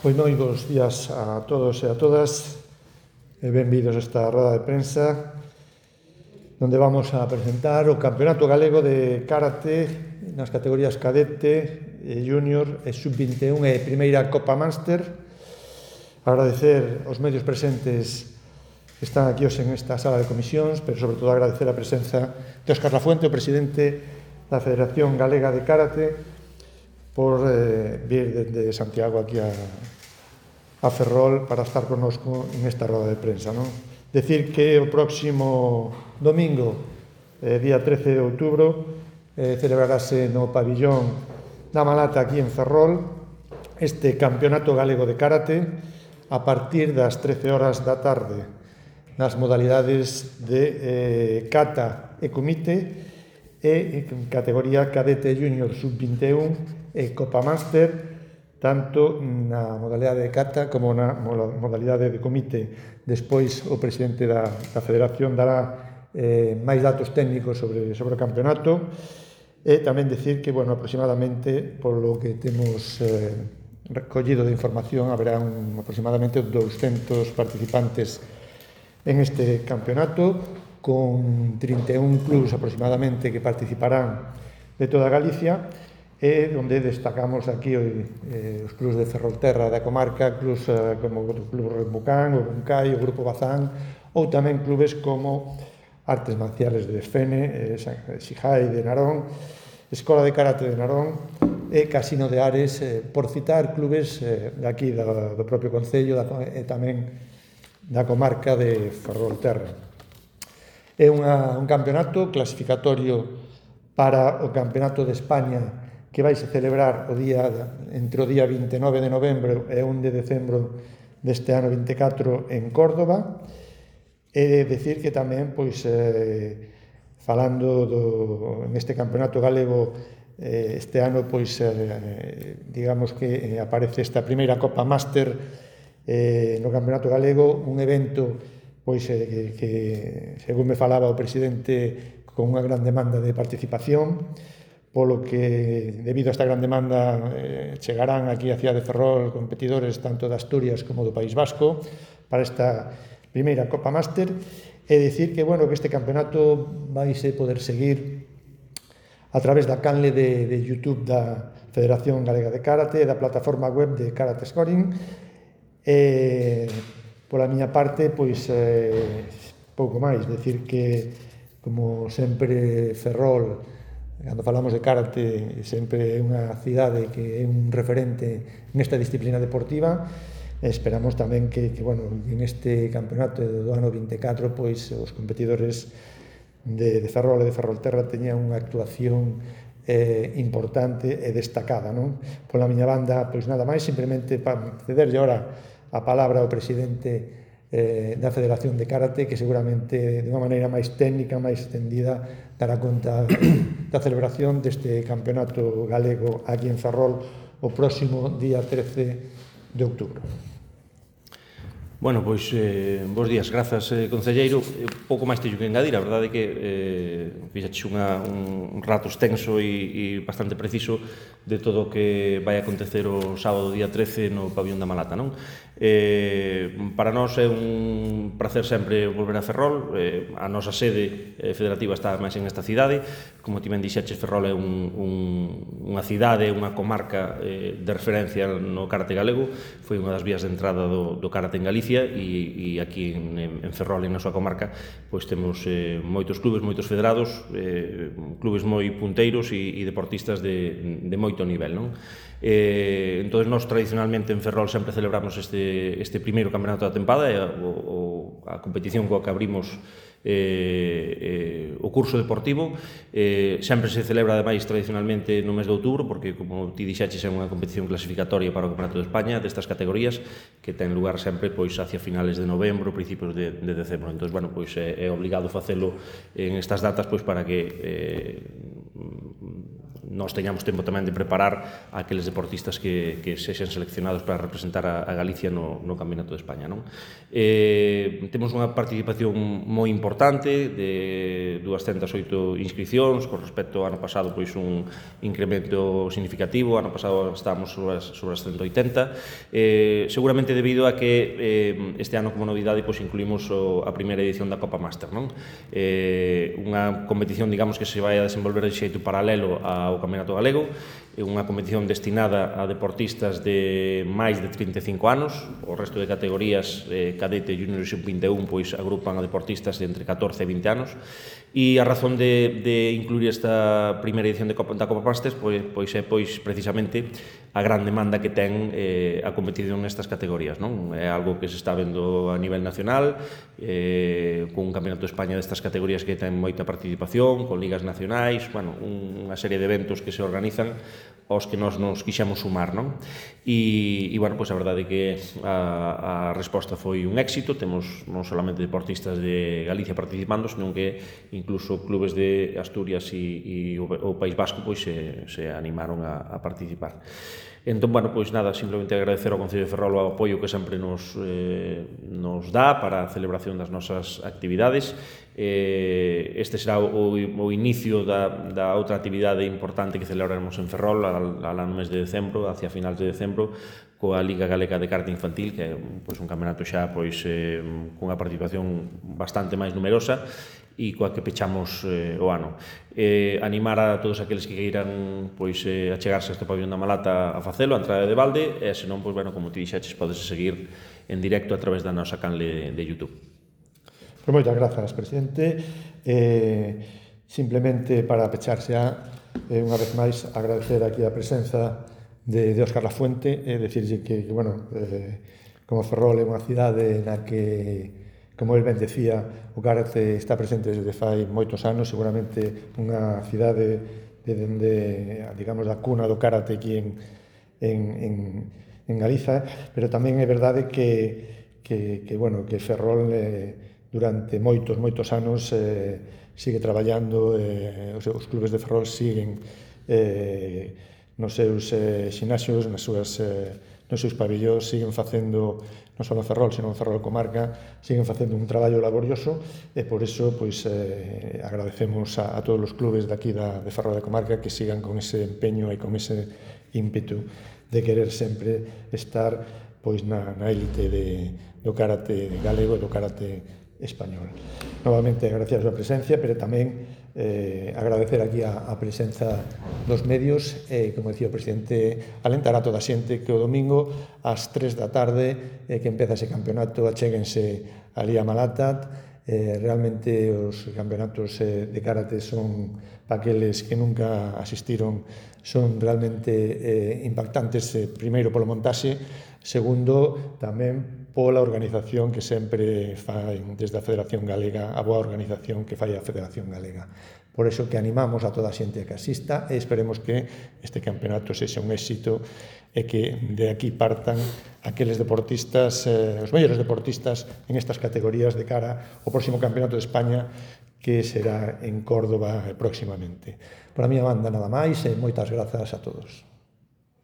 Pois moi bons días a todos e a todas e benvidos a esta roda de prensa onde vamos a presentar o Campeonato Galego de Karate nas categorías cadete, junior e sub-21 e primeira Copa Master. Agradecer aos medios presentes que están aquí hoxe en esta sala de comisións, pero sobre todo agradecer a presenza de Óscar Lafuente, o presidente da Federación Galega de Karate, por vir desde Santiago aquí a Ferrol para estar connosco en esta roda de prensa, non? Decir que o próximo domingo, día 13 de outubro, celebrarase no pabillón da Malata aquí en Ferrol este Campeonato Galego de Karate a partir das 13 horas da tarde nas modalidades de kata e kumite e categoría cadete junior sub-21 e Copa Master, tanto na modalidade de kata como na modalidade de comite. Despois o presidente da Federación dará máis datos técnicos sobre o campeonato e tamén decir que, aproximadamente, polo que temos recollido de información, haberá aproximadamente 200 participantes en este campeonato, con 31 clubs aproximadamente que participarán de toda Galicia, e onde destacamos aquí os clubs de Ferrolterra da comarca, clubs como o Club Remucán, o Buncai, o Grupo Bazán, ou tamén clubes como Artes Marciales de Fene, Xijai de Narón, Escola de Karate de Narón e Casino de Ares, por citar clubes de aquí, do propio Concello e tamén da comarca de Ferrolterra. É un campeonato clasificatorio para o Campeonato de España que vai se celebrar entre o día 29 de novembro e 1 de decembro deste ano 24 en Córdoba. E decir que tamén, falando neste campeonato galego, este ano, digamos que aparece esta primeira Copa Master no campeonato galego, un evento que, según me falaba o presidente, con unha gran demanda de participación, polo que, debido a esta gran demanda, chegarán aquí a Cidade de Ferrol competidores tanto de Asturias como do País Vasco para esta primeira Copa Master, e dicir que este campeonato vaise poder seguir a través da canle de YouTube da Federación Galega de Karate e da plataforma web de Karate Scoring. Pola miña parte, pouco máis, decir que, como sempre, Ferrol, cando falamos de karate, sempre é unha cidade que é un referente nesta disciplina deportiva. Esperamos tamén que en este campeonato do ano 24 os competidores de Ferrol e de Ferrolterra teñan unha actuación importante e destacada, non? Pola miña banda, nada máis, simplemente para cederlle ahora a palabra ao presidente da Federación de Karate, que seguramente de unha maneira máis técnica, máis extendida, dará conta da celebración deste campeonato galego aquí en Ferrol o próximo día 13 de outubro. Bos días, grazas, concelleiro. Pouco máis teño que engadir, a verdade é que fixaches un rato extenso e bastante preciso de todo o que vai acontecer o sábado día 13 no pabillón da Malata, non? Para nós é un placer sempre volver a Ferrol. A nosa sede federativa está máis en esta cidade. Como ti ben dixeches, Ferrol é unha cidade, unha comarca de referencia no karate galego. Foi unha das vías de entrada do karate en Galicia, e aquí en Ferrol, na súa comarca, temos moitos clubes, moitos federados, clubes moi punteiros e deportistas de moito nivel, non? Entón, nós tradicionalmente en Ferrol sempre celebramos este primeiro campeonato da tempada, a competición coa que abrimos o curso deportivo. Sempre se celebra, ademais, tradicionalmente no mes de outubro, porque, como ti dixaches, é unha competición clasificatoria para o Campeonato de España destas categorías, que ten lugar sempre hacia finales de novembro, principios de decembro. Entón, é obligado facelo en estas datas para que nós teñamos tempo tamén de preparar aqueles deportistas que sexan seleccionados para representar a Galicia no Campeonato de España, non? Temos unha participación moi importante de 208 inscripcións, con respecto ao ano pasado, pois un incremento significativo. Ano pasado estábamos sobre as 180, seguramente debido a que este ano, como novidade, pois incluímos a primeira edición da Copa Master, non? Unha competición, digamos, que se vai a desenvolver de xeito paralelo ao Campeonato Galego, unha competición destinada a deportistas de máis de 35 anos. O resto de categorías, cadete, junior e sub-21, pois agrupan a deportistas de entre 14 e 20 anos, e a razón de incluir esta primeira edición da Copa Masters pois é precisamente a gran demanda que ten a competición nestas categorías, non? É algo que se está vendo a nivel nacional, con un Campeonato de España destas categorías que ten moita participación, con ligas nacionais, bueno, unha serie de eventos que se organizan aos que nós nos quixemos sumar, non? E bueno, pois a verdade é que a resposta foi un éxito. Temos non solamente deportistas de Galicia participando, senón que incluso clubes de Asturias e o País Vasco pois se animaron a participar. Entón, bueno, pois nada, simplemente agradecer ao Concello de Ferrol o apoio que sempre nos dá para a celebración das nosas actividades. Este será o inicio da outra actividade importante que celebraremos en Ferrol no mes de decembro, hacia finales de decembro, coa Liga Galega de Karate Infantil, que é un campeonato xa cunha participación bastante máis numerosa e coa que pechamos o ano. Animar a todos aqueles que queiran achegarse a este pabillón da Malata a facelo, a entrada de balde, e senón, como ti dixeches, podes seguir en directo a través da nosa canle de YouTube. Moitas grazas, presidente. Simplemente para pecharse unha vez máis, agradecer aquí a presenza de Óscar Lafuente, decirlle que como Ferrol é unha cidade na que, como el ben decía, o karate está presente desde fai moitos anos, seguramente unha cidade digamos, da cuna do karate aquí en Galiza, pero tamén é verdade que Ferrol durante moitos anos sigue traballando, os clubes de Ferrol siguen nos seus xinasios, nos seus pabillóns, siguen facendo, non só en Ferrol, senón en Ferrol comarca, siguen facendo un traballo laborioso, e por iso agradecemos a todos os clubes de aquí de Ferrol de comarca que sigan con ese empeño e con ese ímpetu de querer sempre estar na élite do karate galego e do karate español. Novamente, agradecer a súa presencia, pero tamén agradecer aquí a presenza dos medios, como decía o presidente, alentar a toda a xente que o domingo ás 3 da tarde que empeza ese campeonato, achéguense ali a Malata. Realmente os campeonatos de karate son, para aqueles que nunca asistiron, son realmente impactantes, primeiro polo montaxe, segundo tamén pola organización que sempre fai desde a Federación Galega, a boa organización que fai a Federación Galega. Por iso que animamos a toda a xente que asista e esperemos que este campeonato sexa un éxito e que de aquí partan aqueles deportistas, os mellores deportistas en estas categorías de cara ao próximo Campeonato de España que será en Córdoba próximamente. Por a miña banda nada máis e moitas grazas a todos.